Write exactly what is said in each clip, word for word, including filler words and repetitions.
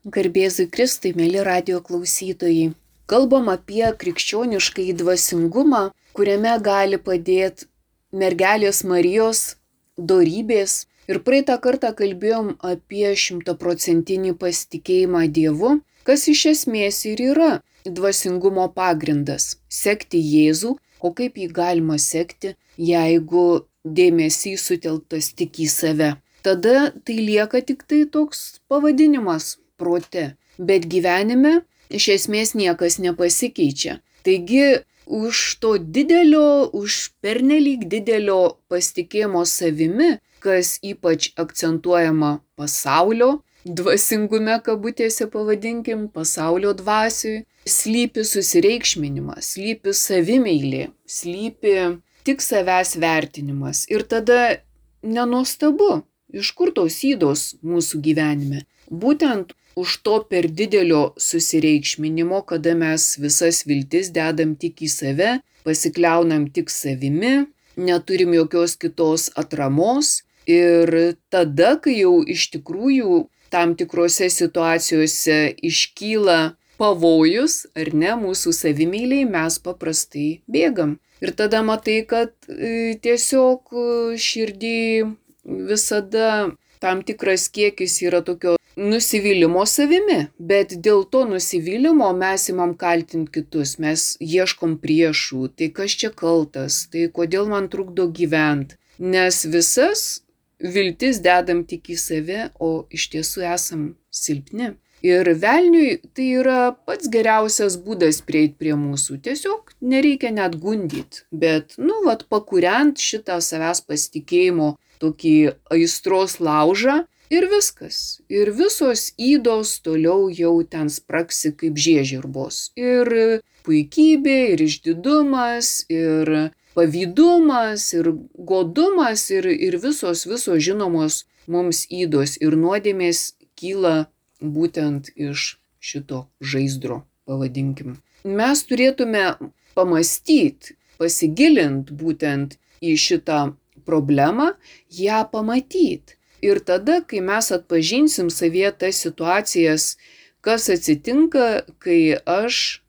Garbėzui Kristui, mėly radijo klausytojai. Kalbam apie krikščioniškąjį dvasingumą, kuriame gali padėti mergelės Marijos dorybės. Ir praeitą kartą kalbėjom apie šimtaprocentinį pasitikėjimą Dievu, kas iš esmės ir yra dvasingumo pagrindas - sekti Jėzų. O kaip jį galima sekti, jeigu dėmesys sutelktas tik į save? Tada tai lieka tik tai toks pavadinimas prote, bet gyvenime iš esmės niekas nepasikeičia. Taigi už to didelio, už pernelyg didelio pasitikėjimo savimi, kas ypač akcentuojama pasaulio dvasingume, kabutėse pavadinkim, pasaulio dvasiui, slypi susireikšminimas, slypi savimeilė, slypi tik savęs vertinimas. Ir tada nenuostabu, iš kur tos ydos mūsų gyvenime. Būtent už to per didelio susireikšminimo, kada mes visas viltis dedam tik į save, pasikliaunam tik savimi, neturim jokios kitos atramos. Ir tada, kai jau iš tikrųjų tam tikrose situacijose iškyla pavojus, ar ne, mūsų savimeiliai, mes paprastai bėgam. Ir tada matai, kad e, tiesiog širdį visada tam tikras kiekis yra tokio nusivylimo savimi, bet dėl to nusivylimo mes imam kaltinti kitus, mes ieškom priešų, tai kas čia kaltas, tai kodėl man trukdo gyventi, nes visas viltis dedam tik į save, o iš tiesų esam silpni. Ir velniui tai yra pats geriausias būdas prieiti prie mūsų, tiesiog nereikia net gundyti, bet, nu, vat, pakuriant šitą savęs pasitikėjimo tokį aistros laužą ir viskas. Ir visos ydos toliau jau ten spraksi kaip žiežirbos. Ir puikybė, ir išdidumas, ir pavydumas, ir godumas, ir, ir visos, visos žinomos mums ydos ir nuodėmės kyla būtent iš šito žaizdro, pavadinkim. Mes turėtume pamastyti, pasigilinti būtent į šitą problemą, ją pamatyti. Ir tada, kai mes atpažinsim savyje tas situacijas, kas atsitinka, kai aš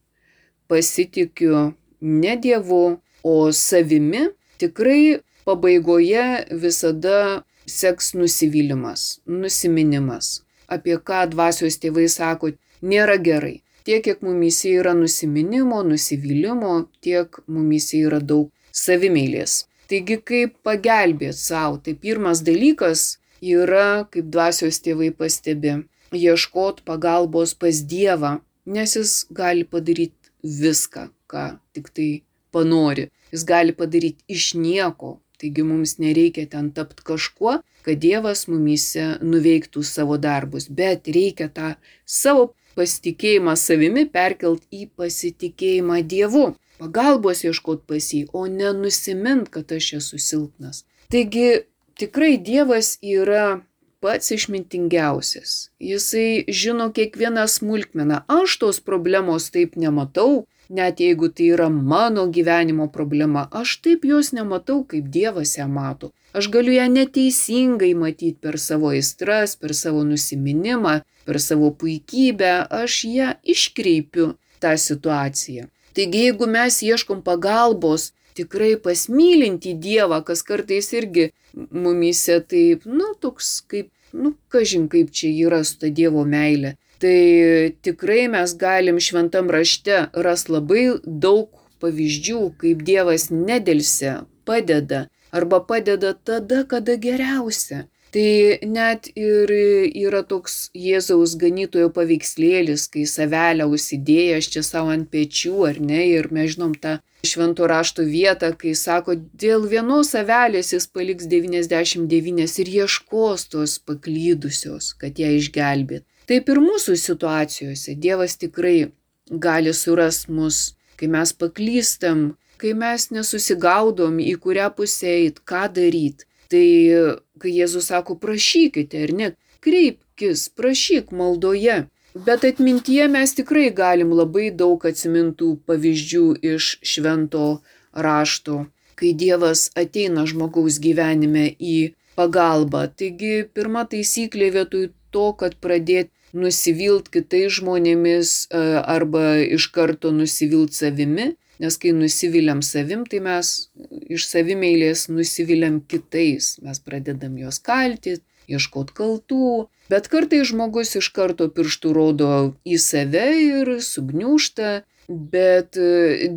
pasitikiu ne Dievu, o savimi, tikrai pabaigoje visada seks nusivylimas, nusiminimas. Apie ką dvasios tėvai sako, nėra gerai. Tiek, kiek mumyse yra nusiminimo, nusivylimo, tiek mumyse yra daug savimeilės. Taigi, kaip pagelbėti savo, tai pirmas dalykas yra, kaip dvasios tėvai pastebi, ieškoti pagalbos pas Dievą, nes jis gali padaryti viską, ką tik tai panori. Jis gali padaryti iš nieko, taigi mums nereikia ten tapti kažkuo, kad Dievas mumyse nuveiktų savo darbus, bet reikia tą savo pasitikėjimą savimi perkelt į pasitikėjimą Dievu. Pagalbos ieškot pas jį, o nenusimint, kad aš esu silpnas. Taigi tikrai Dievas yra pats išmintingiausias. Jisai žino kiekvieną smulkmeną. Aš tos problemos taip nematau, net jeigu tai yra mano gyvenimo problema. Aš taip jos nematau, kaip Dievas ją mato. Aš galiu ją neteisingai matyti per savo aistras, per savo nusiminimą, per savo puikybę. Aš ją iškreipiu tą situaciją. Taigi, jeigu mes ieškom pagalbos, tikrai pasmylinti Dievą, kas kartais irgi mumyse taip, nu, toks kaip, nu, kažin kaip čia yra su ta Dievo meilė, tai tikrai mes galim šventam rašte ras labai daug pavyzdžių, kaip Dievas nedelsia, padeda, arba padeda tada, kada geriausia. Tai net ir yra toks Jėzaus ganytojo paveikslėlis, kai savelę užsidėję aš čia savo ant pečių, ar ne, ir mes žinom tą švento rašto vietą, kai sako, dėl vienos avelės jis paliks devyniasdešimt devynias ir ieškos tos paklydusios, kad ją išgelbėt. Taip ir mūsų situacijose Dievas tikrai gali surasti mus, kai mes paklystam, kai mes nesusigaudom, į kurią pusę eit, ką daryt. Tai kai Jėzus sako, prašykite, ar ne, kreipkis, prašyk maldoje. Bet atmintyje mes tikrai galim labai daug atsimintų pavyzdžių iš švento rašto, kai Dievas ateina žmogaus gyvenime į pagalbą. Taigi pirma taisyklė vietoj to, kad pradėti nusivilt kitais žmonėmis arba iš karto nusivilt savimi, nes kai nusiviliam savim, tai mes iš savimeilės nusiviliam kitais, mes pradedam juos kaltyti, ieškot kaltų, bet kartais žmogus iš karto pirštų rodo į save ir sugniūžta, bet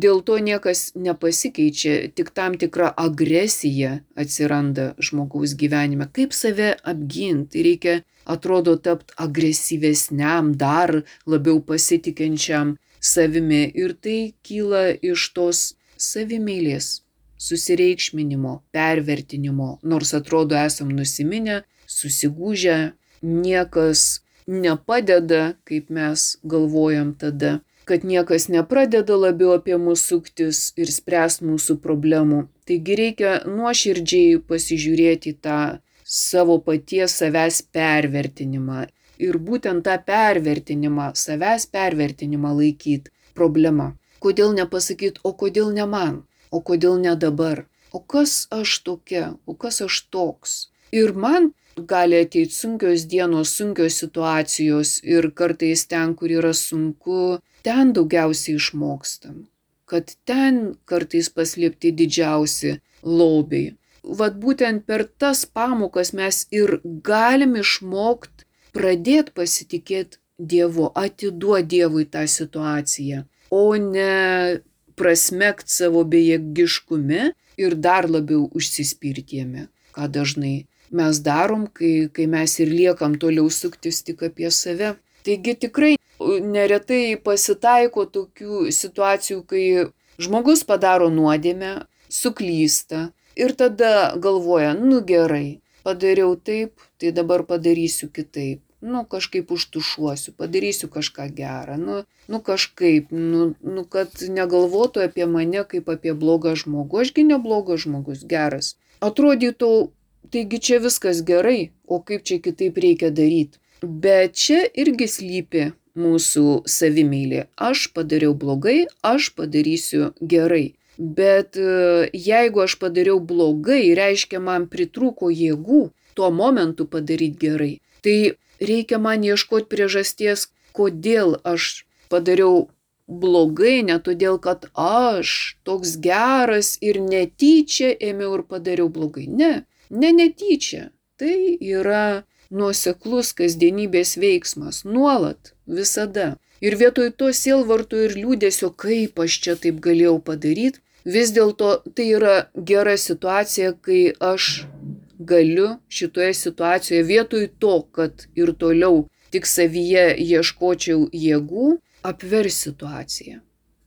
dėl to niekas nepasikeičia, tik tam tikra agresija atsiranda žmogaus gyvenime. Kaip save apginti? Reikia, atrodo, tapti agresyvesniam, dar labiau pasitikinčiam savimi ir tai kyla iš tos savimeilės, susireikšminimo, pervertinimo, nors atrodo esam nusiminę, susigūžę, niekas nepadeda, kaip mes galvojam tada, kad niekas nepradeda labiau apie mus suktis ir spręs mūsų problemų. Taigi reikia nuoširdžiai pasižiūrėti tą savo paties savęs pervertinimą ir būtent tą pervertinimą, savęs pervertinimą laikyti problema. Kodėl nepasakyt, o kodėl ne man, o kodėl ne dabar, o kas aš tokia, o kas aš toks. Ir man gali ateiti sunkios dienos, sunkios situacijos ir kartais ten, kur yra sunku, ten daugiausiai išmokstam, kad ten kartais paslėpti didžiausi lobiai. Vat būtent per tas pamokas mes ir galim išmokti pradėti pasitikėti Dievu, atiduoti Dievui tą situaciją, o ne prasmekt savo bejėgiškume ir dar labiau užsispirti jame, ką dažnai mes darom, kai, kai mes ir liekam toliau suktis tik apie save. Taigi tikrai neretai pasitaiko tokių situacijų, kai žmogus padaro nuodėmę, suklysta ir tada galvoja, nu gerai, padariau taip, tai dabar padarysiu kitaip. Nu kažkaip užtušuosiu, padarysiu kažką gerą, nu, nu kažkaip, nu, nu kad negalvotų apie mane kaip apie blogą žmogų. Ašgi neblogas žmogus, geras. Atrodytų, taigi čia viskas gerai, o kaip čia kitaip reikia daryti. Bet čia irgi slypi mūsų savimeilė. Aš padariau blogai, aš padarysiu gerai. Bet jeigu aš padariau blogai, reiškia man pritrūko jėgų tuo momentu padaryti gerai. Tai reikia man ieškoti priežasties, kodėl aš padariau blogai, ne todėl, kad aš toks geras ir netyčia ėmiau ir padariau blogai. Ne, ne netyčia. Tai yra nuoseklus kasdienybės veiksmas, nuolat, visada. Ir vietoj to sielvarto ir liūdesio, kaip aš čia taip galėjau padaryti, vis dėlto tai yra gera situacija, kai aš galiu šitoje situacijoje vietoj to, kad ir toliau tik savyje ieškočiau jėgų, apvers situaciją.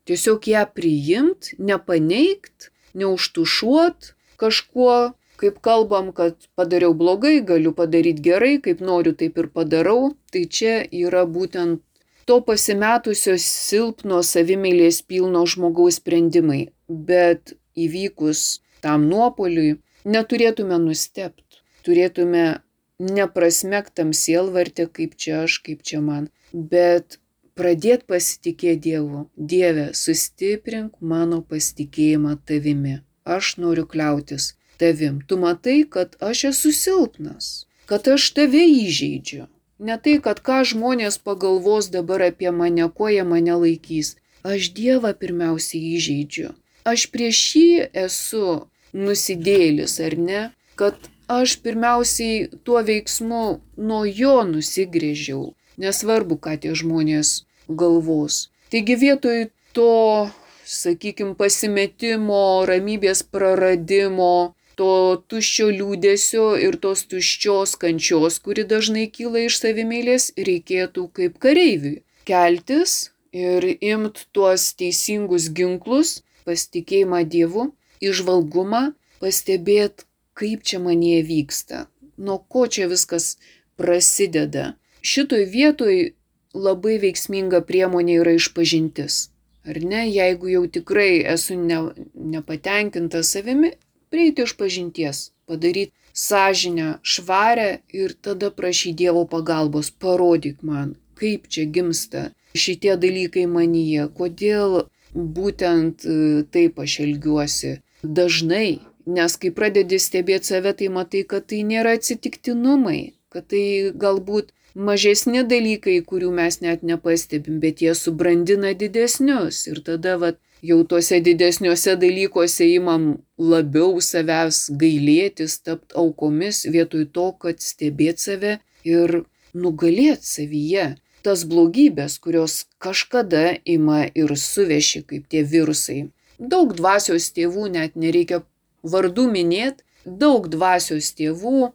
Tiesiog ją priimt, nepaneigt, neužtušuot kažkuo, kaip kalbam, kad padariau blogai, galiu padaryti gerai, kaip noriu, taip ir padarau. Tai čia yra būtent to pasimetusio silpno savimeilės pilno žmogaus sprendimai. Bet įvykus tam nuopoliui, neturėtume nustebti, turėtume neprasmektam sielvartę, kaip čia aš, kaip čia man, bet pradėti pasitikėti Dievu. Dieve, sustiprink mano pasitikėjimą tavimi. Aš noriu kliautis tavim. Tu matai, kad aš esu silpnas, kad aš tave įžeidžiu. Ne tai, kad ką žmonės pagalvos dabar apie mane, ko jie mane laikys. Aš Dievą pirmiausiai įžeidžiu. Aš prieš jį esu nusidėlis, ar ne, kad aš pirmiausiai tuo veiksmu nuo jo nusigrėžiau, nesvarbu, ką tie žmonės galvos. Taigi vietoj to, sakykime, pasimetimo, ramybės praradimo, to tuščio liūdesio ir tos tuščios kančios, kuri dažnai kyla iš savimeilės, reikėtų kaip kareiviui keltis ir imt tuos teisingus ginklus, pasitikėjimą Dievu, įžvalgumą, pastebėti, kaip čia manyje vyksta, nuo ko čia viskas prasideda. Šitoj vietoj labai veiksminga priemonė yra išpažintis. Ar ne, jeigu jau tikrai esu ne, nepatenkinta savimi, prieiti išpažinties, padaryti sąžinę švarę ir tada prašyti Dievo pagalbos, parodyk man, kaip čia gimsta šitie dalykai manyje, kodėl būtent taip aš elgiuosi dažnai, nes kai pradedi stebėti save, tai matai, kad tai nėra atsitiktinumai, kad tai galbūt mažesni dalykai, kurių mes net nepastebim, bet jie subrandina didesnius. Ir tada vat, jau tuose didesniuose dalykuose imam labiau savęs gailėtis, tapt aukomis, vietoj to, kad stebėt save ir nugalėt savyje tas blogybės, kurios kažkada ima ir suveši kaip tie virusai. Daug dvasios tėvų, net nereikia vardų minėti, daug dvasios tėvų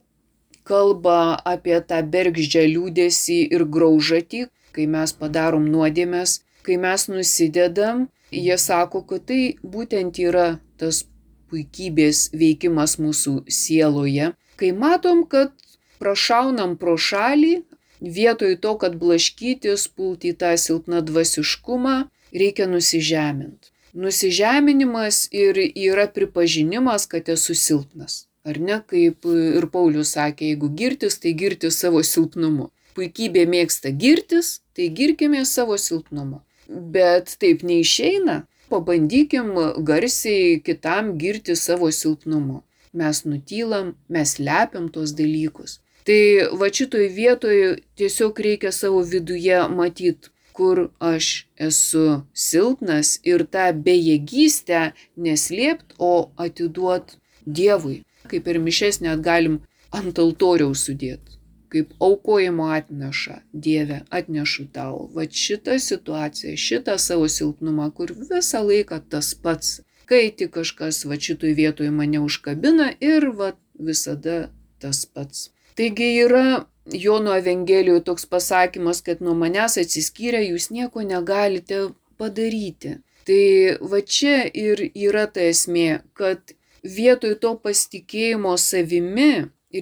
kalba apie tą bergždžią liūdesį ir graužatį, kai mes padarom nuodėmes, kai mes nusidedam, jie sako, kad tai būtent yra tas puikybės veikimas mūsų sieloje. Kai matom, kad prašaunam pro šalį, vietoj to, kad blaškytis, pulti į tą silpną dvasiškumą, reikia nusižeminti. Nusižeminimas ir yra pripažinimas, kad esu silpnas. Ar ne, kaip ir Paulius sakė, jeigu girtis, tai girtis savo silpnumu. Puikybė mėgsta girtis, tai girkime savo silpnumu. Bet taip neišeina. Pabandykim garsiai kitam girti savo silpnumu. Mes nutylam, mes lepiam tos dalykus. Tai va šitoj vietoje tiesiog reikia savo viduje matyti, kur aš esu silpnas ir tą bejėgystę neslėpt, o atiduot Dievui. Kaip ir mišes net galim ant altoriaus sudėti, kaip aukojimo atneša, Dieve, atnešu tau. Va šitą situaciją, šitą savo silpnumą, kur visą laiką tas pats, kai tik kažkas va šitoj vietoje mane užkabina ir va visada tas pats. Taigi yra Jono Evangelijoje toks pasakymas, kad nuo manęs atsiskyrę jūs nieko negalite padaryti. Tai va čia ir yra ta esmė, kad vietoj to pasitikėjimo savimi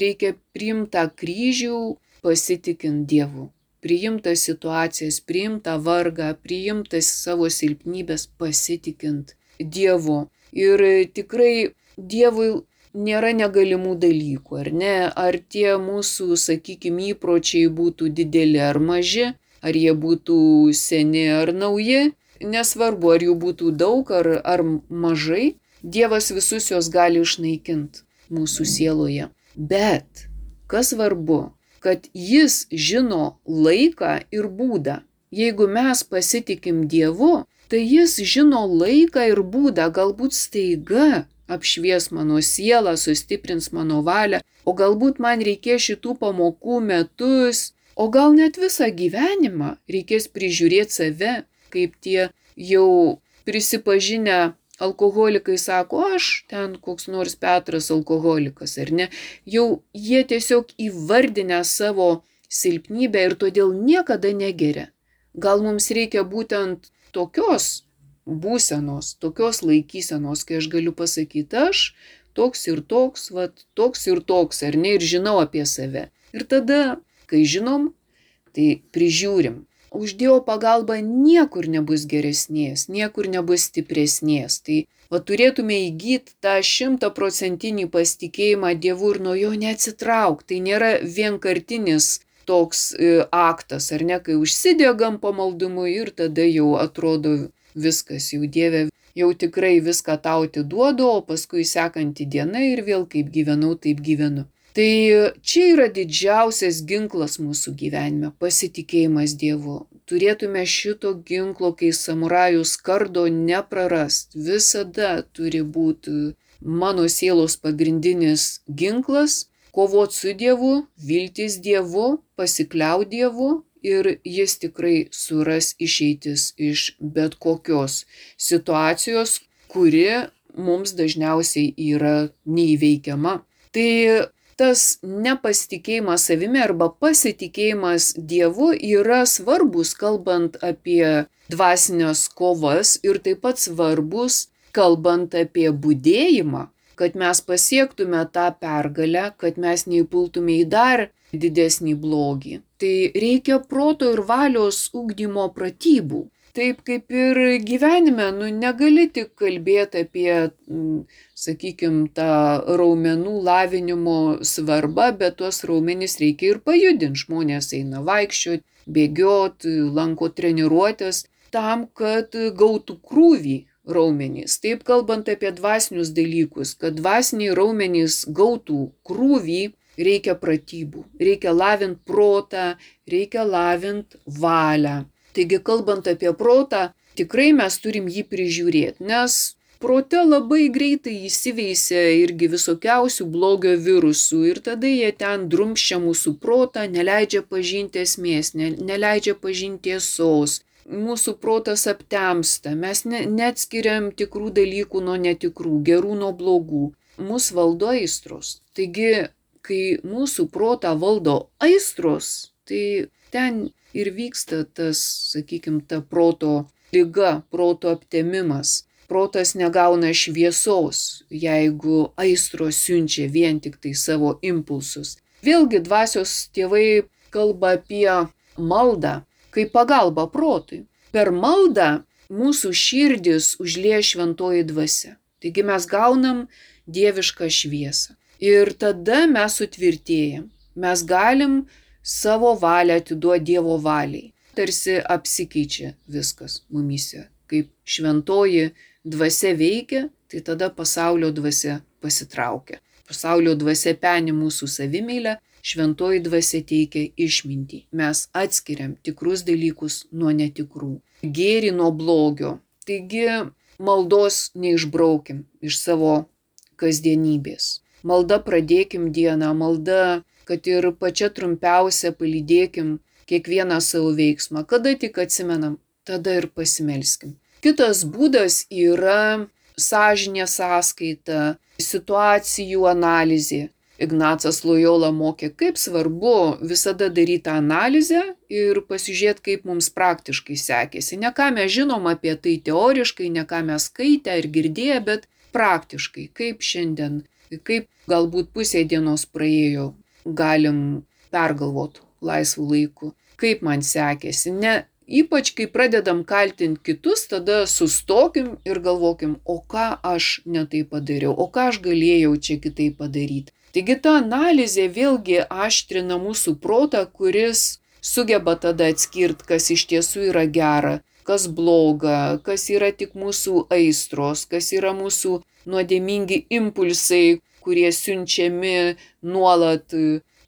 reikia priimti tą kryžių pasitikint Dievu. Priimti situacijas, priimti vargą, priimti savo silpnybės pasitikint Dievu. Ir tikrai Dievui nėra negalimų dalykų, ar ne? Ar tie mūsų, sakykime, įpročiai būtų dideli ar maži, ar jie būtų seni ar nauji, nesvarbu, ar jų būtų daug ar, ar mažai, Dievas visus juos gali išnaikinti mūsų sieloje. Bet kas svarbu, kad jis žino laiką ir būdą. Jeigu mes pasitikim Dievu, tai jis žino laiką ir būdą, galbūt staiga apšvies mano sielą, sustiprins mano valią, o galbūt man reikės šitų pamokų metus, o gal net visą gyvenimą reikės prižiūrėti save, kaip tie jau prisipažinę alkoholikai sako, aš ten koks nors Petras alkoholikas, ar ne? Jau jie tiesiog įvardinę savo silpnybę ir todėl niekada negeria. Gal mums reikia būtent tokios būsenos, tokios laikysenos, kai aš galiu pasakyti, aš toks ir toks, vat, toks ir toks, ar ne, ir žinau apie save. Ir tada, kai žinom, tai prižiūrim. Už Dievo pagalbą niekur nebus geresnės, niekur nebus stipresnės. Tai va, turėtume įgyti tą šimtaprocentinį pasitikėjimą Dievu ir nuo jo neatsitraukti. Tai nėra vienkartinis toks e, aktas, ar ne, kai užsidegam pamaldumu ir tada jau atrodo viskas, jau Dieve, jau tikrai viską tau atiduodu, o paskui sekanti diena ir vėl kaip gyvenau, taip gyvenu. Tai čia yra didžiausias ginklas mūsų gyvenime – pasitikėjimas Dievu. Turėtume šito ginklo, kai samurajus kardo neprarast. Visada turi būti mano sielos pagrindinis ginklas – kovot su Dievu, viltis Dievu, pasikliaut Dievu ir jis tikrai suras išeitis iš bet kokios situacijos, kuri mums dažniausiai yra neįveikiama. Tai tas nepasitikėjimas savimi arba pasitikėjimas Dievu yra svarbus, kalbant apie dvasinės kovas ir taip pat svarbus, kalbant apie budėjimą, kad mes pasiektume tą pergalę, kad mes neįpultume į dar didesnį blogį. Tai reikia proto ir valios ugdymo pratybų. Taip kaip ir gyvenime, nu, negali tik kalbėti apie, sakykime, tą raumenų lavinimo svarbą, bet tuos raumenis reikia ir pajudinti. Žmonės eina vaikščioti, bėgioti, lanko treniruotės tam, kad gautų krūvį raumenys. Taip kalbant apie dvasinius dalykus, kad dvasiniai raumenys gautų krūvį, reikia pratybų, reikia lavint protą, reikia lavint valią. Taigi, kalbant apie protą, tikrai mes turim jį prižiūrėti, nes prote labai greitai įsiveisia irgi visokiausių blogio virusų ir tada jie ten drumsčia mūsų protą, neleidžia pažinti esmės, ne, neleidžia pažinti tiesos. Mūsų protas aptemsta, mes ne, neatskiriam tikrų dalykų nuo netikrų, gerų nuo blogų. Mūsų valdo aistros. Taigi, kai mūsų protą valdo aistros, tai ten ir vyksta tas, sakykime, ta proto liga, proto aptemimas. Protas negauna šviesos, jeigu aistros siunčia vien tik tai savo impulsus. Vėlgi dvasios tėvai kalba apie maldą kaip pagalbą protui. Per maldą mūsų širdis užlieja šventoji dvasia. Taigi mes gaunam dievišką šviesą. Ir tada mes sutvirtėjam. Mes galim savo valią atiduoti Dievo valiai. Tarsi apsikeičia viskas mumyse. Kaip šventoji dvasia veikia, tai tada pasaulio dvasia pasitraukia. Pasaulio dvasia peni mūsų savimeilę, šventoji dvasia teikia išmintį. Mes atskiriam tikrus dalykus nuo netikrų, gėrį nuo blogio. Taigi maldos neišbraukim iš savo kasdienybės. Malda pradėkim dieną, malda, kad ir pačia trumpiausia palydėkim kiekvieną savo veiksmą. Kada tik atsimenam, tada ir pasimelskim. Kitas būdas yra sąžinės sąskaita, situacijų analizė. Ignacas Lojola mokė, kaip svarbu visada daryti analizę ir pasižiūrėti, kaip mums praktiškai sekėsi. Ne ką mes žinom apie tai teoriškai, ne ką mes skaitę ir girdėję, bet praktiškai, kaip šiandien, kaip galbūt pusė dienos praėjo, galim pergalvoti laisvų laikų, kaip man sekėsi. Ne, ypač kai pradedam kaltinti kitus, tada sustokim ir galvokim, o ką aš netai padariau, o ką aš galėjau čia kitaip padaryti. Taigi ta analizė vėlgi aštrina mūsų protą, kuris sugeba tada atskirti, kas iš tiesų yra gera, kas bloga, kas yra tik mūsų aistros, kas yra mūsų nuodėmingi impulsai, kurie siunčiami nuolat.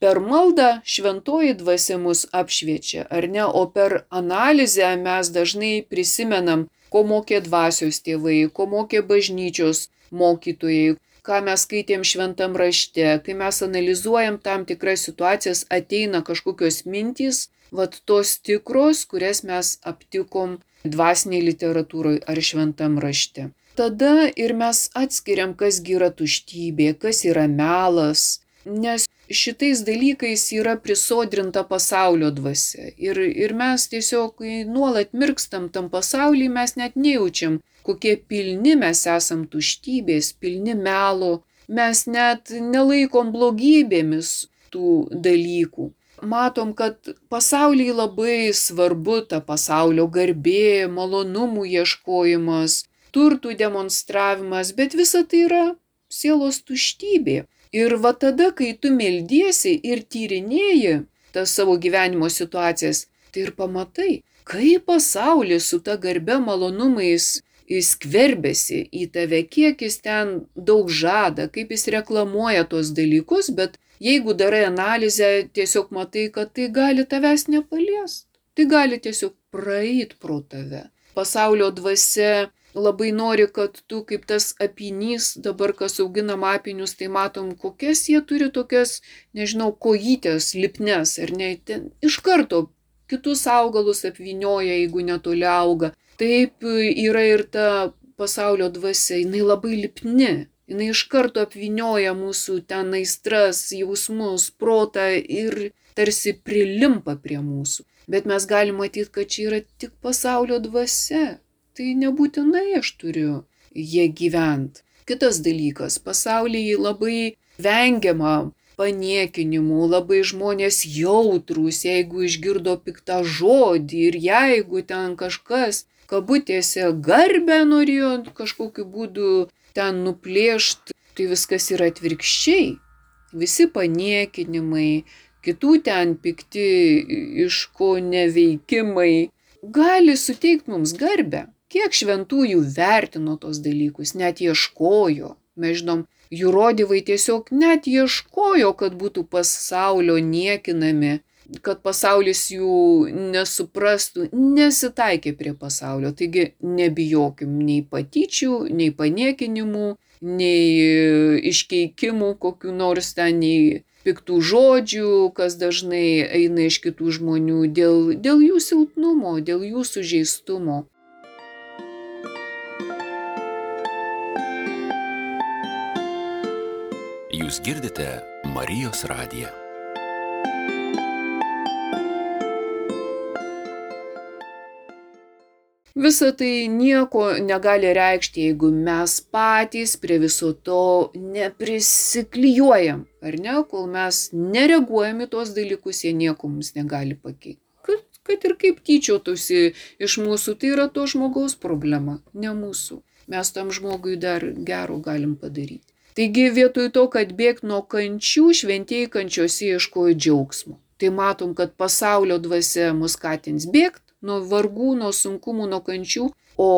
Per maldą šventoji dvasia mus apšviečia, ar ne, o per analizę mes dažnai prisimenam, ko mokė dvasios tėvai, ko mokė bažnyčios mokytojai, ką mes skaitėm šventam rašte. Kai mes analizuojam tam tikras situacijas, ateina kažkokios mintys, vat tos tikros, kurias mes aptikom dvasiniai literatūroje ar šventam rašte. Tada ir mes atskiriam, kas yra tuštybė, kas yra melas, nes šitais dalykais yra prisodrinta pasaulio dvasia. Ir, ir mes tiesiog nuolat mirkstam tam pasaulyje, mes net nejaučiam, kokie pilni mes esam tuštybės, pilni melo. Mes net nelaikom blogybėmis tų dalykų. Matom, kad pasaulyje labai svarbu ta pasaulio garbė, malonumų ieškojimas, turtų demonstravimas, bet visa tai yra sielos tuštybė. Ir va tada, kai tu meldiesi ir tyrinėji tas savo gyvenimo situacijas, tai ir pamatai, kaip pasaulis su ta garbe malonumais skverbiasi į tave, kiek jis ten daug žada, kaip jis reklamuoja tuos dalykus, bet jeigu darai analizę, tiesiog matai, kad tai gali tavęs nepaliest. Tai gali tiesiog praeit pro tave. Pasaulio dvasia labai nori, kad tu kaip tas apynys, dabar kas auginam apynius, tai matom, kokias jie turi tokias, nežinau, kojytės, lipnes, ar ne, ten iš karto kitus augalus apvynioja, jeigu netoli auga. Taip yra ir ta pasaulio dvasia, jinai labai lipni, jinai iš karto apvynioja mūsų ten aistras, jausmus, protą ir tarsi prilimpa prie mūsų. Bet mes galim matyti, kad čia yra tik pasaulio dvasia. Tai nebūtinai aš turiu jie gyvent. Kitas dalykas, pasaulyje labai vengiama paniekinimų, labai žmonės jautrūs, jeigu išgirdo piktą žodį ir jeigu ten kažkas, kabutėse, garbę norėjo kažkokiu būdu ten nuplėšti, tai viskas yra atvirkščiai. Visi paniekinimai, kitų ten pikti iško neveikimai gali suteikti mums garbę. Kiek šventųjų vertino tos dalykus, net ieškojo, Mes žinom, jurodivai tiesiog net ieškojo, kad būtų pasaulio niekinami, kad pasaulis jų nesuprastų, nesitaikė prie pasaulio. Taigi nebijokim nei patyčių, nei paniekinimų, nei iškeikimų kokių nors ten, nei piktų žodžių, kas dažnai eina iš kitų žmonių dėl, dėl jų silpnumo, dėl jų sužeistumo. Jūs girdite Marijos radiją. Visa tai nieko negali reikšti, jeigu mes patys prie viso to neprisiklijuojam, ar ne? Kol mes nereaguojam į tos dalykus, jie nieko mums negali pakeisti. Kad, kad ir kaip tyčiotųsi iš mūsų, tai yra to žmogaus problema, ne mūsų. Mes tam žmogui dar gero galim padaryti. Taigi vietoj to, kad bėgti nuo kančių, šventieji kančiose ieškojo džiaugsmo. Tai matom, kad pasaulio dvasia mus skatins bėgti nuo vargų, nuo sunkumų, nuo kančių, o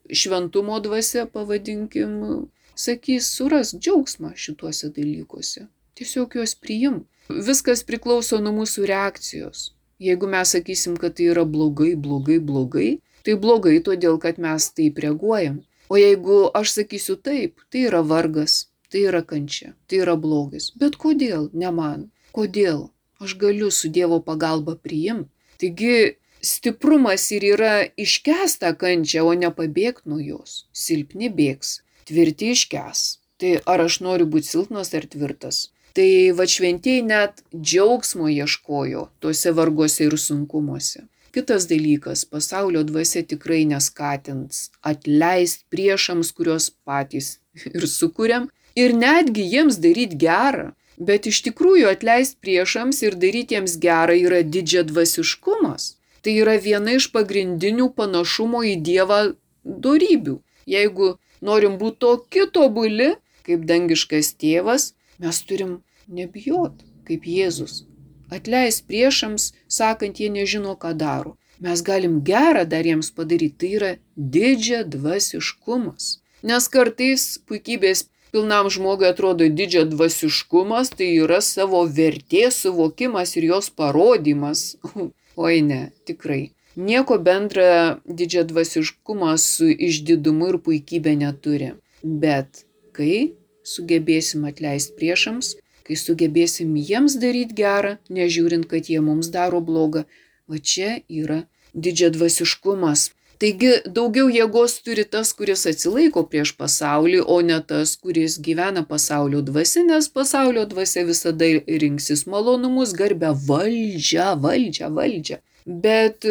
šventumo dvasia, pavadinkim, sakys, suras džiaugsmą šituose dalykuose. Tiesiog juos priim. Viskas priklauso nuo mūsų reakcijos. Jeigu mes sakysim, kad tai yra blogai, blogai, blogai, tai blogai todėl, kad mes taip reaguojam. O jeigu aš sakysiu taip, tai yra vargas, tai yra kančia, tai yra blogis. Bet kodėl? Ne man. Kodėl? Aš galiu su Dievo pagalba priimti. Taigi, stiprumas ir yra iškęst tą kančią, o ne pabėgti nuo jos. Silpni bėgs, tvirti iškęs. Tai ar aš noriu būti silpnas ar tvirtas? Tai va šventieji net džiaugsmo ieškojo tuose varguose ir sunkumuose. Kitas dalykas, pasaulio dvasia tikrai neskatins atleisti priešams, kuriuos patys ir sukuriam, ir netgi jiems daryti gerą. Bet iš tikrųjų atleisti priešams ir daryti jiems gerą yra didžiadvasiškumas. Tai yra viena iš pagrindinių panašumo į Dievą dorybių. Jeigu norim būti tokie tobuli, kaip dangiškas tėvas, mes turim nebijot, kaip Jėzus. Atleist priešams, sakant, jie nežino, ką daro. Mes galim gerą dar jiems padaryti. Tai yra didžiadvasiškumas. Nes kartais puikybės pilnam žmogui atrodo didžiadvasiškumas, tai yra savo vertės suvokimas ir jos parodymas. Oi ne, tikrai. Nieko bendra didžiadvasiškumas su išdidumu ir puikybė neturi. Bet kai sugebėsim atleisti priešams, kai sugebėsim jiems daryti gerą, nežiūrint, kad jie mums daro blogą, va čia yra didžiadvasiškumas. Taigi daugiau jėgos turi tas, kuris atsilaiko prieš pasaulį, o ne tas, kuris gyvena pasaulio dvasia, nes pasaulio dvasia visada rinksis malonumus, garbę, valdžią, valdžią, valdžią. Bet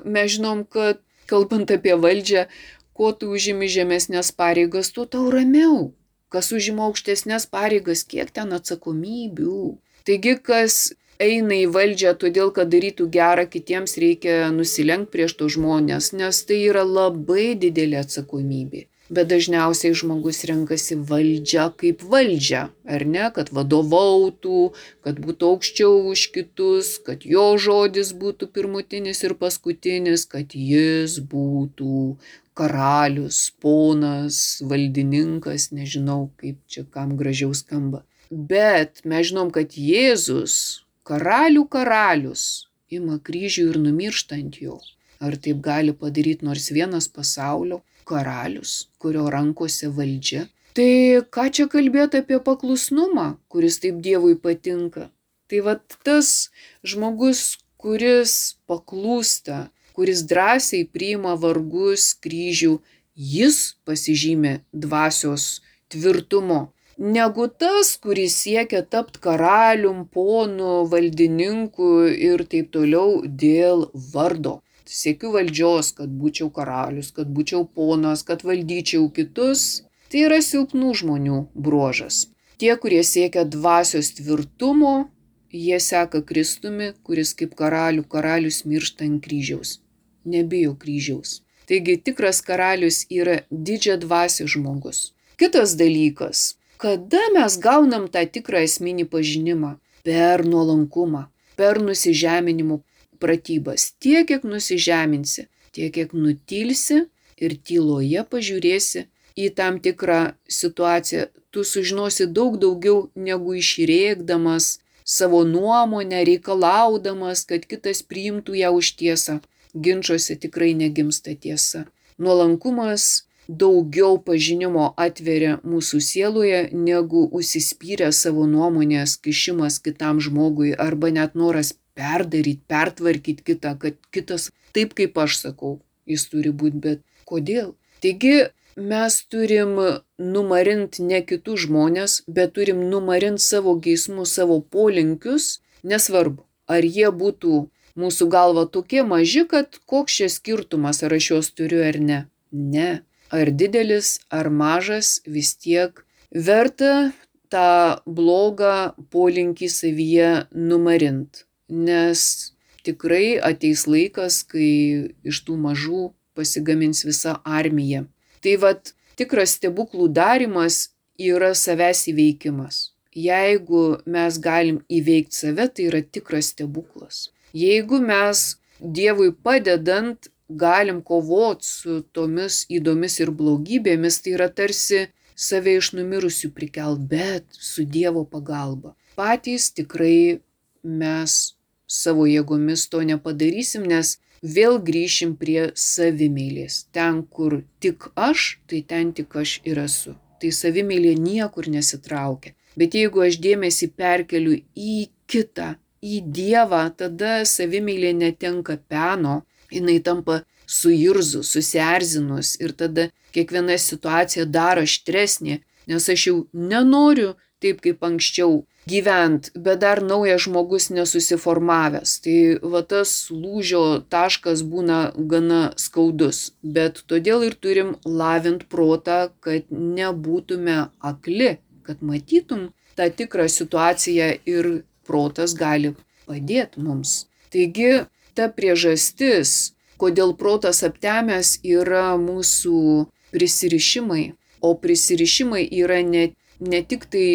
mes žinom, kad kalbant apie valdžią, kuo tu užimi žemesnės pareigas, tuo tau ramiau. Kas užima aukštesnės pareigas, kiek ten atsakomybių. Taigi, kas eina į valdžią todėl, kad darytų gerą kitiems, reikia nusilenkti prieš tos žmonės, nes tai yra labai didelė atsakomybė. Bet dažniausiai žmogus renkasi valdžią kaip valdžią, ar ne, kad vadovautų, kad būtų aukščiau už kitus, kad jo žodis būtų pirmutinis ir paskutinis, kad jis būtų karalius, ponas, valdininkas, nežinau, kaip čia kam gražiau skamba. Bet mes žinom, kad Jėzus, karalių karalius, ima kryžių ir numiršta ant jo. Ar taip gali padaryti nors vienas pasaulio karalius, kurio rankose valdžia? Tai ką čia kalbėti apie paklusnumą, kuris taip Dievui patinka? Tai va tas žmogus, kuris paklūsta, kuris drąsiai priima vargus, kryžių, jis pasižymi dvasios tvirtumo. Negu tas, kuris siekia tapti karalium, ponu, valdininku ir taip toliau dėl vardo. Siekiu valdžios, kad būčiau karalius, kad būčiau ponas, kad valdyčiau kitus. Tai yra silpnų žmonių bruožas. Tie, kurie siekia dvasios tvirtumo, jie seka Kristumi, kuris kaip karalių karalius miršta ant kryžiaus. Nebijo kryžiaus. Taigi tikras karalius yra didžiadvasis žmogus. Kitas dalykas. Kada mes gaunam tą tikrą esminį pažinimą? Per nuolankumą, per nusižeminimo pratybas. Tiek, kiek nusižeminsi, tiek, kiek nutilsi ir tyloje pažiūrėsi, į tam tikrą situaciją, tu sužinosi daug daugiau negu išrėkdamas savo nuomonę, reikalaudamas, kad kitas priimtų ją už tiesą. Ginčuose tikrai negimsta tiesa. Nuolankumas daugiau pažinimo atveria mūsų sieloje, negu užsispyrę savo nuomonės kišimas kitam žmogui arba net noras perdaryti, pertvarkyti kitą, kad kitas taip, kaip aš sakau, jis turi būti, bet kodėl? Taigi mes turim numarinti ne kitus žmonės, bet turim numarinti savo geismus, savo polinkius, nesvarbu, ar jie būtų mūsų galva tokie maži, kad koks čia skirtumas, ar aš juos turiu ar ne. Ne. Ar didelis, ar mažas, vis tiek verta tą blogą polinkį savyje numarint. Nes tikrai ateis laikas, kai iš tų mažų pasigamins visa armija. Tai vat tikras stebuklų darimas yra savęs įveikimas. Jeigu mes galim įveikti save, tai yra tikras stebuklas. Jeigu mes Dievui padedant galim kovoti su tomis įdomis ir blogybėmis, tai yra tarsi save iš numirusių prikelt, bet su Dievo pagalba. Patys tikrai mes savo jėgomis to nepadarysim, nes vėl grįšim prie savimeilės. Ten, kur tik aš, tai ten tik aš ir esu. Tai savimeilė niekur nesitraukia. Bet jeigu aš dėmesį perkeliu į kitą, į Dievą, tada savimeilė netenka peno, jinai tampa suirzus, susierzinus ir tada kiekviena situacija dar aštresnė, nes aš jau nenoriu taip kaip anksčiau gyvent, bet dar naujas žmogus nesusiformavęs. Tai va tas lūžio taškas būna gana skaudus, bet todėl ir turim lavint protą, kad nebūtume akli, kad matytum tą tikrą situaciją ir protas gali padėti mums. Taigi ta priežastis, kodėl protas aptemęs, yra mūsų prisirišimai, o prisirišimai yra ne, ne tik tai,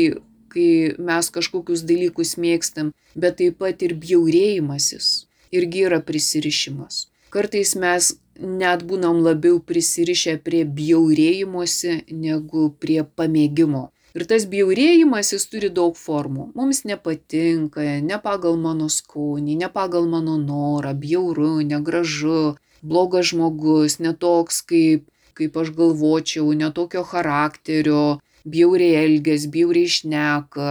kai mes kažkokius dalykus mėgstam, bet taip pat ir bjaurėjimasis irgi yra prisirišimas. Kartais mes net būnam labiau prisirišę prie bjaurėjimosi negu prie pamėgimo. Ir tas bjaurėjimasis turi daug formų. Mums nepatinka, ne pagal mano skonį, ne pagal mano norą, bjauru, negražu, blogas žmogus, netoks kaip, kaip aš galvočiau, netokio charakterio, bjauriai elgės, bjauriai šneka.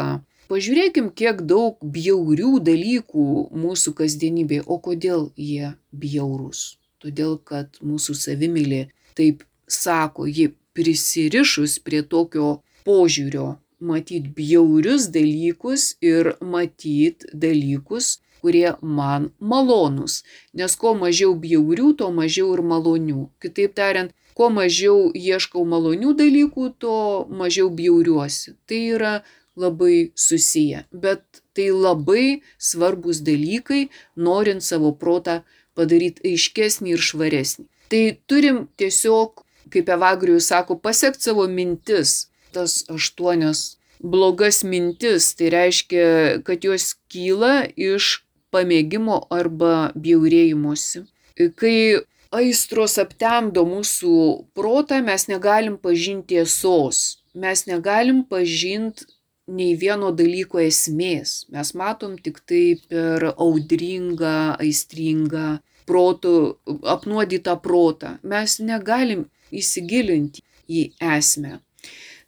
Pažiūrėkim, kiek daug bjaurių dalykų mūsų kasdienybėje. O kodėl jie bjaurūs? Todėl, kad mūsų savimeilė taip sako, ji prisirišus prie tokio požiūrio, matyt bjaurius dalykus ir matyt dalykus, kurie man malonūs. Nes kuo mažiau bjaurių, to mažiau ir malonių. Kitaip tariant, kuo mažiau ieškau malonių dalykų, to mažiau bjauriuosi. Tai yra labai susiję, bet tai labai svarbus dalykai, norint savo protą padaryti aiškesnį ir švaresnį. Tai turim tiesiog, kaip Evagrijus sako, pasiekti savo mintis. Tas aštuonias blogas mintis, tai reiškia, kad jos kyla iš pamėgimo arba bjaurėjimosi. Kai aistros aptemdo mūsų protą, mes negalim pažinti tiesos, mes negalim pažinti nei vieno dalyko esmės. Mes matom tik tai per audringą, aistringą protų, apnuodytą protą. Mes negalim įsigilinti į esmę.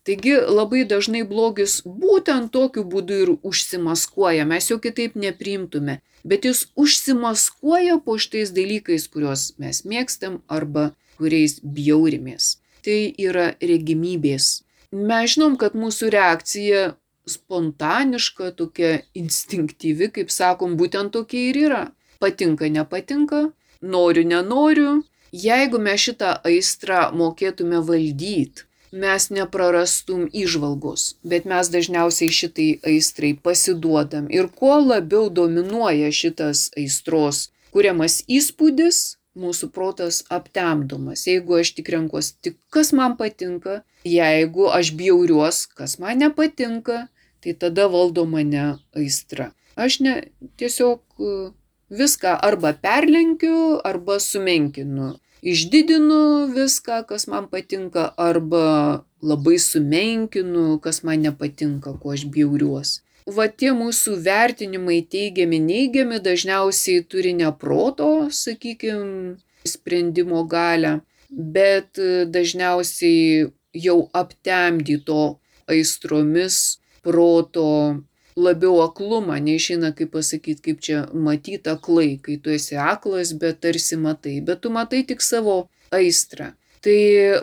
Taigi labai dažnai blogis būtent tokiu būdu ir užsimaskuoja, mes jo kitaip nepriimtume, bet jis užsimaskuoja po šitais dalykais, kuriuos mes mėgstam arba kuriais bjaurimės. Tai yra regimybės. Mes žinom, kad mūsų reakcija spontaniška, tokia instinktyvi, kaip sakom, būtent tokia ir yra. Patinka, nepatinka, noriu, nenoriu. Jeigu mes šitą aistrą mokėtume valdyti, mes neprarastum įžvalgos, bet mes dažniausiai šitai aistrai pasiduodam. Ir kuo labiau dominuoja šitas aistros kuriamas įspūdis, mūsų protas aptemdomas. Jeigu aš tik renkuos tik, kas man patinka, jeigu aš bjauriuos, kas man nepatinka, tai tada valdo mane aistra. Aš ne, tiesiog viską arba perlenkiu, arba sumenkinu. išdidinu viską, kas man patinka, arba labai sumenkinu, kas man nepatinka, kuo aš bjauriuos. Va tie mūsų vertinimai teigiami, neigiami dažniausiai turi ne proto, sakykime, sprendimo galią, bet dažniausiai jau aptemdyto aistromis proto labiau aklumą, neišeina kaip pasakyti, kaip čia matyti aklai, kai tu esi aklas, bet tarsi matai, bet tu matai tik savo aistrą. Tai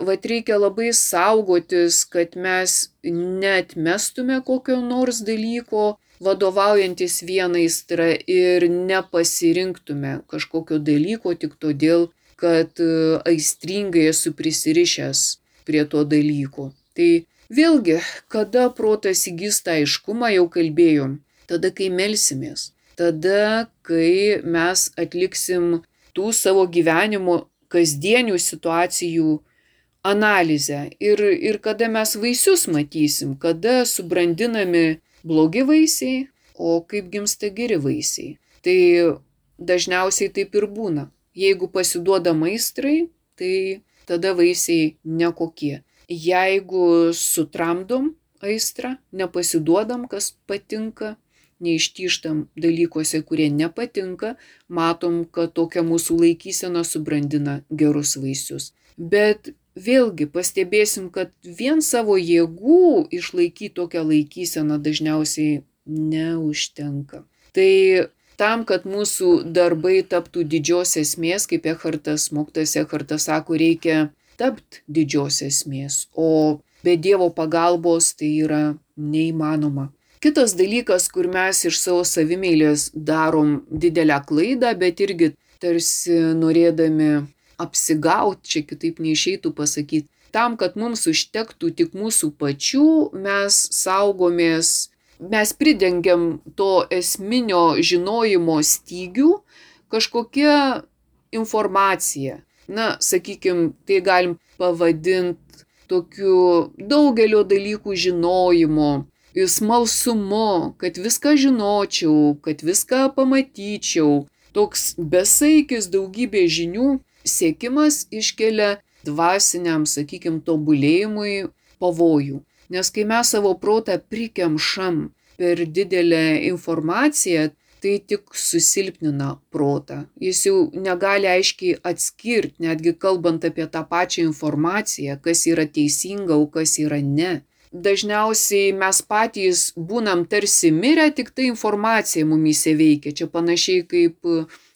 vat reikia labai saugotis, kad mes neatmestume kokio nors dalyko, vadovaujantis vieną aistrą ir nepasirinktume kažkokio dalyko tik todėl, kad aistringai esu prisirišęs prie to dalyko. Tai vėlgi, kada protas įgys tą aiškumą, jau kalbėjom, tada kai melsimės, tada kai mes atliksim tų savo gyvenimo kasdienių situacijų analizę ir, ir kada mes vaisius matysim, kada subrandinami blogi vaisiai, o kaip gimsta geri vaisiai. Tai dažniausiai taip ir būna. Jeigu pasiduodam aistrai, tai tada vaisiai nekokie. Jeigu sutramdom aistrą, nepasiduodam, kas patinka, neištyžtam dalykuose, kurie nepatinka, matom, kad tokia mūsų laikysena subrandina gerus vaisius. Bet vėlgi pastebėsim, kad vien savo jėgų išlaikyti tokią laikyseną dažniausiai neužtenka. Tai tam, kad mūsų darbai taptų didžios esmės, kaip Ekhartas, mokytojas Ekhartas sako, reikia tapti didžios esmės, o be Dievo pagalbos tai yra neįmanoma. Kitas dalykas, kur mes iš savo savimeilės darom didelę klaidą, bet irgi tarsi norėdami apsigauti, čia kitaip neišeitų pasakyti, tam, kad mums užtektų tik mūsų pačių, mes saugomės, mes pridengiam to esminio žinojimo stygių kažkokia informacija. Na, sakykime, tai galim pavadinti tokiu daugelio dalykų žinojimu, smalsumu, kad viską žinočiau, kad viską pamatyčiau. Toks besaikis daugybė žinių siekimas iškelia dvasiniam, sakykime, tobulėjimui pavojų. Nes kai mes savo protą prikemšam per didelę informaciją, tai tik susilpnina protą. Jis jau negali aiškiai atskirti, netgi kalbant apie tą pačią informaciją, kas yra teisinga, o kas yra ne. Dažniausiai mes patys būnam tarsi mirę, tik ta informacija mumyse veikia. Čia panašiai kaip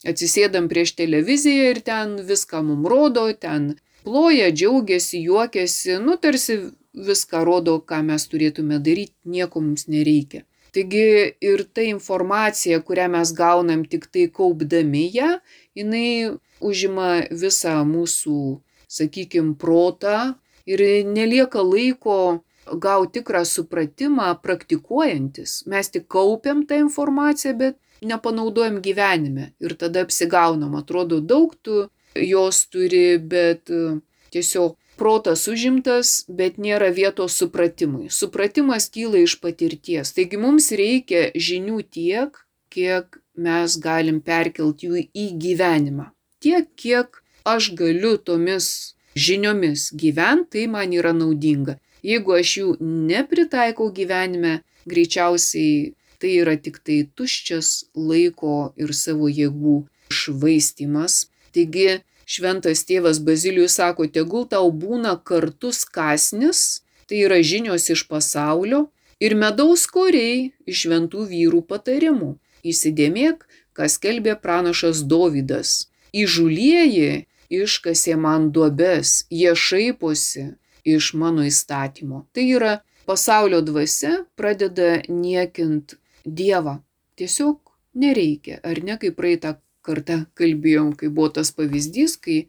atsisėdam prieš televiziją ir ten viską mum rodo, ten ploja, džiaugiasi, juokiasi, nu tarsi viską rodo, ką mes turėtume daryti, nieko mums nereikia. Taigi ir ta informacija, kurią mes gaunam tik tai kaupdami ją, jinai užima visą mūsų, sakykime, protą ir nelieka laiko gauti tikrą supratimą praktikuojantis. Mes tik kaupiam tą informaciją, bet nepanaudojam gyvenime ir tada apsigaunam. Atrodo, daug tu jos turi, bet tiesiog protas užimtas, bet nėra vietos supratimui. Supratimas kyla iš patirties. Taigi mums reikia žinių tiek, kiek mes galim perkelti jų į gyvenimą. Tiek, kiek aš galiu tomis žiniomis gyventi, tai man yra naudinga. Jeigu aš jų nepritaikau gyvenime, greičiausiai tai yra tik tai tuščias laiko ir savo jėgų švaistymas. Taigi šventas tėvas Bazilijus sako, tegul tau būna kartus kąsnis, tai yra žinios iš pasaulio, ir medaus koriai iš šventų vyrų patarimų. Įsidėmėk, kas skelbė pranašas Dovydas. Įžūlieji iškasė man duobes, jie šaiposi iš mano įstatymo. Tai yra pasaulio dvasia pradeda niekint Dievą. Tiesiog nereikia, ar ne, kaip praeitą kartą kalbėjom, kai buvo tas pavyzdys, kai,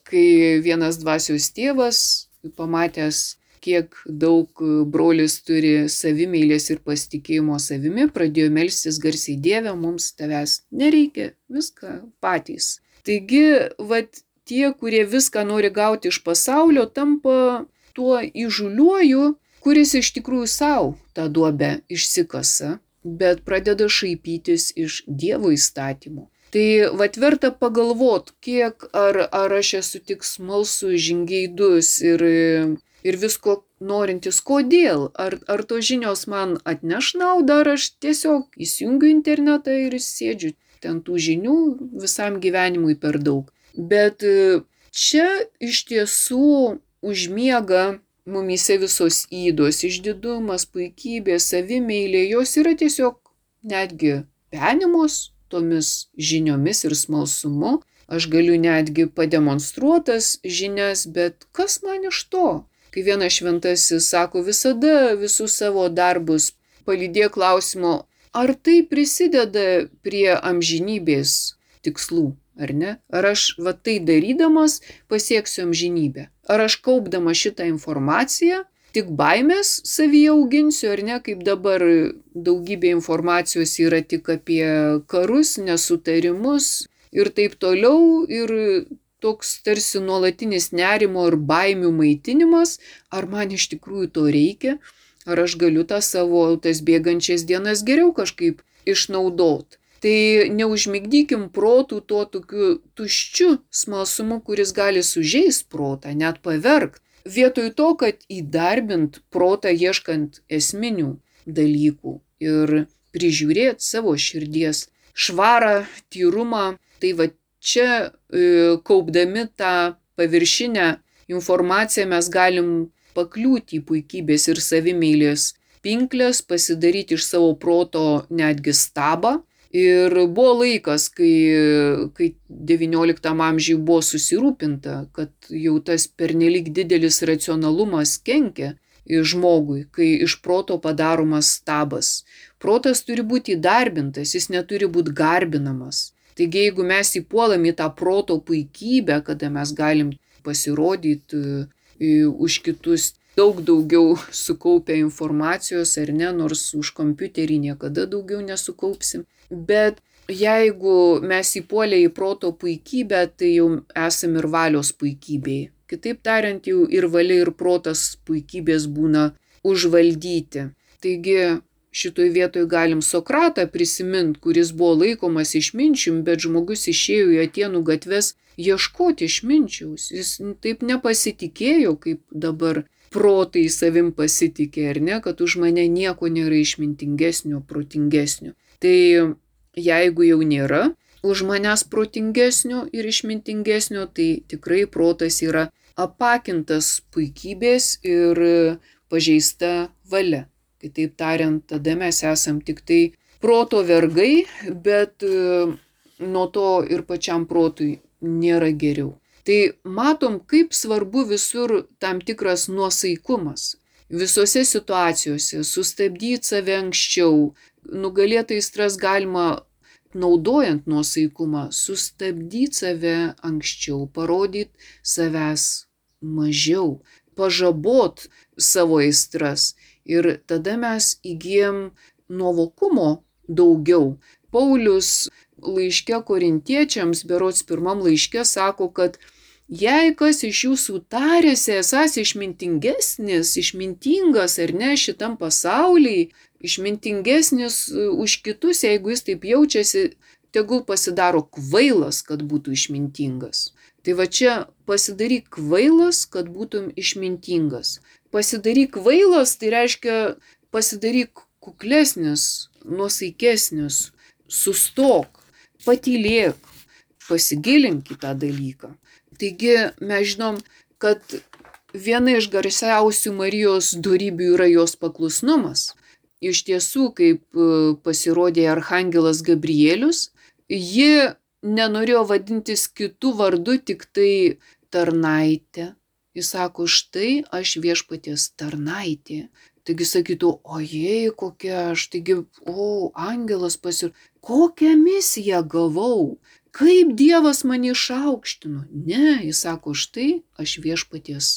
kai vienas dvasios tėvas, pamatęs, kiek daug brolis turi savimeilės ir pasitikėjimo savimi, pradėjo melstis garsiai, Dieve, mums tavęs nereikia, viską patys. Taigi, vat, tie, kurie viską nori gauti iš pasaulio, tampa tuo įžūliuoju, kuris iš tikrųjų savo tą duobę išsikasa, bet pradeda šaipytis iš Dievo įstatymų. Tai vat verta pagalvot, kiek ar, ar aš esu tik smalsus, žingeidus ir, ir visko norintis, kodėl. Ar, ar tos žinios man atneš naudą, ar aš tiesiog įsijungiu internetą ir sėdžiu. Ten tų žinių visam gyvenimui per daug. Bet čia iš tiesų užmiega mumyse visos ydos, išdidumas, puikybė, savimeilė, jos yra tiesiog netgi penimos tomis žiniomis ir smalsumu. Aš galiu netgi pademonstruotas žinias, bet kas man iš to? Kai vienas šventasis sako, visada visus savo darbus palydėk klausimo, ar tai prisideda prie amžinybės tikslų, ar ne? Ar aš va tai darydamas pasieksiu amžinybę? Ar aš kaupdama šitą informaciją tik baimės savyje auginsiu, ar ne, kaip dabar daugybė informacijos yra tik apie karus, nesutarimus ir taip toliau, ir toks tarsi nuolatinis nerimo ir baimių maitinimas, ar man iš tikrųjų to reikia, ar aš galiu tą savo tas bėgančias dienas geriau kažkaip išnaudot. Tai neužmigdykim protų tuo tokiu tuščiu smalsumu, kuris gali sužeist protą, net pavergt. Vietoj to, kad įdarbint protą ieškant esminių dalykų ir prižiūrėt savo širdies švarą, tyrumą, tai va čia e, kaupdami tą paviršinę informaciją mes galim pakliūti į puikybės ir savimeilės pinklės, pasidaryti iš savo proto netgi stabą. Ir buvo laikas, kai, kai devynioliktam amžiui buvo susirūpinta, kad jau tas pernelyg didelis racionalumas kenkia žmogui, kai iš proto padaromas stabas. Protas turi būti įdarbintas, jis neturi būti garbinamas. Taigi, jeigu mes įpuolam į tą proto puikybę, kada mes galim pasirodyti už kitus daug daugiau sukaupę informacijos, ar ne, nors už kompiuterį niekada daugiau nesukaupsim. Bet jeigu mes įpuolę į proto puikybę, tai jau esam ir valios puikybėje. Kitaip tariant, jau ir valia, ir protas puikybės būna užvaldyti. Taigi šitoj vietoj galim Sokratą prisimint, kuris buvo laikomas išminčium, bet žmogus išėjo į Atėnų gatves ieškoti išminčiaus. Jis taip nepasitikėjo, kaip dabar protai savim pasitikė, ar ne, kad už mane nieko nėra išmintingesnio, protingesnio. Tai jeigu jau nėra už manęs protingesnio ir išmintingesnio, tai tikrai protas yra apakintas puikybės ir pažeista valia. Kitaip tariant, tada mes esam tik tai proto vergai, bet nuo to ir pačiam protui nėra geriau. Tai matom, kaip svarbu visur tam tikras nuosaikumas. Visose situacijose sustabdyti save anksčiau, nugalėti aistras galima naudojant nuosaikumą, sustabdyti save anksčiau, parodyti savęs mažiau, pažabot savo aistras ir tada mes įgyjam nuovokumo daugiau. Paulius laiške korintiečiams, berods pirmam laiške, sako, kad jei kas iš jūsų tarėsi esąs išmintingesnis, išmintingas ar ne šitam pasaulyje, išmintingesnis už kitus, jeigu jis taip jaučiasi, tegul pasidaro kvailas, kad būtų išmintingas. Tai va čia pasidaryk kvailas, kad būtum išmintingas. Pasidaryk kvailas, tai reiškia pasidaryk kuklesnis, nuosaikesnis, sustok, patylėk, pasigilink į tą dalyką. Taigi mes žinom, kad viena iš garsiausių Marijos dorybių yra jos paklusnumas. Iš tiesų, kaip pasirodė archangelas Gabrielius, ji nenorėjo vadintis kitų vardu, tik tai tarnaitė. Jis sako, štai aš viešpaties tarnaitė. Taigi sakytų, ojei, kokia aš, taigi, o, angelas pasir... Kokią misiją gavau? Kaip Dievas mane išaukštino? Ne, jis sako, štai aš viešpaties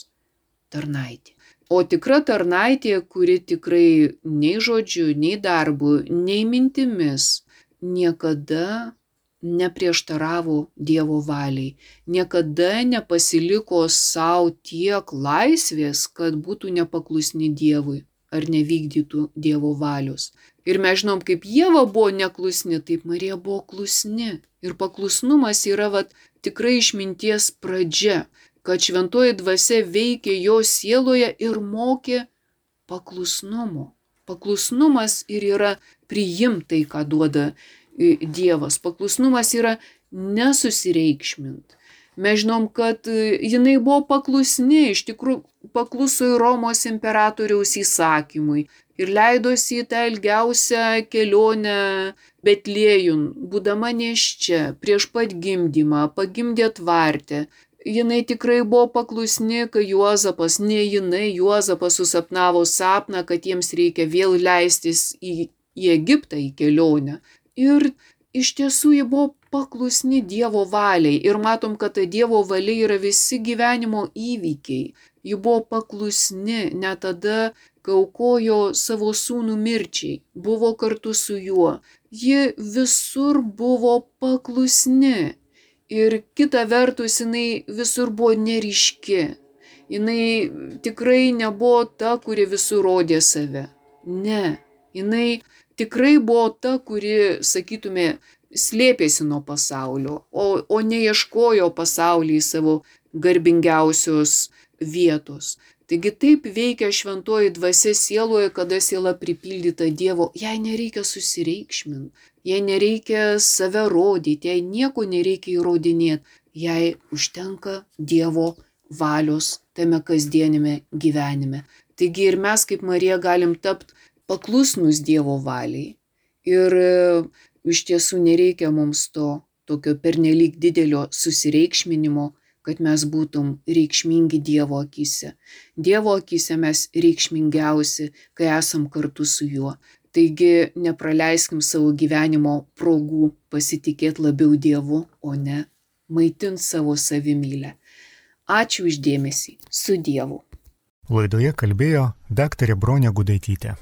tarnaitė. O tikra tarnaitė, kuri tikrai nei žodžiu, nei darbu, nei mintimis niekada neprieštaravo Dievo valiai, niekada nepasiliko savo tiek laisvės, kad būtų nepaklusni Dievui ar nevykdytų Dievo valios. Ir mes žinom, kaip Ieva buvo neklusni, taip Marija buvo klusni. Ir paklusnumas yra vat, tikrai išminties pradžia, kad šventoji dvasia veikė jo sieloje ir mokė paklusnumo. Paklusnumas ir yra priimtai, ką duoda Dievas. Paklusnumas yra nesusireikšmint. Mes žinom, kad jinai buvo paklusni, iš tikrųjų pakluso į Romos imperatoriaus įsakymui ir leidosi į tą ilgiausią kelionę Betliejun, būdama nėščia, prieš pat gimdymą, pagimdė tvarte. Jinai tikrai buvo paklusni, kai Juozapas, ne jinai, Juozapas susapnavo sapną, kad jiems reikia vėl leistis į, į Egiptą į kelionę. Ir iš tiesų ji buvo paklusni Dievo valiai. Ir matom, kad ta Dievo valia yra visi gyvenimo įvykiai. Ji buvo paklusni net tada, kai aukojo savo sūnų mirčiai, buvo kartu su juo. Ji visur buvo paklusni. Ir kita vertus, jinai visur buvo neryški. Jinai tikrai nebuvo ta, kuri visur rodė save. Ne. Jinai tikrai buvo ta, kuri, sakytume, slėpėsi nuo pasaulio, o, o neieškojo pasaulyje savo garbingiausios vietos. Taigi taip veikia šventoji dvasia sieloje, kada siela pripildyta Dievo. Jai nereikia susireikšminti, jai nereikia save rodyti, jai nieko nereikia įrodinėti. Jai užtenka Dievo valios tame kasdienime gyvenime. Taigi ir mes kaip Marija galim tapti paklusnus Dievo valiai. Ir iš tiesų nereikia mums to tokio pernelyg didelio susireikšminimo, kad mes būtum reikšmingi Dievo akyse. Dievo akyse mes reikšmingiausi, kai esam kartu su juo. Taigi nepraleiskim savo gyvenimo progų pasitikėti labiau Dievu, o ne maitint savo savimylę. Ačiū už dėmesį. Su Dievu. Laidoje kalbėjo daktarė Bronė Gudaitytė.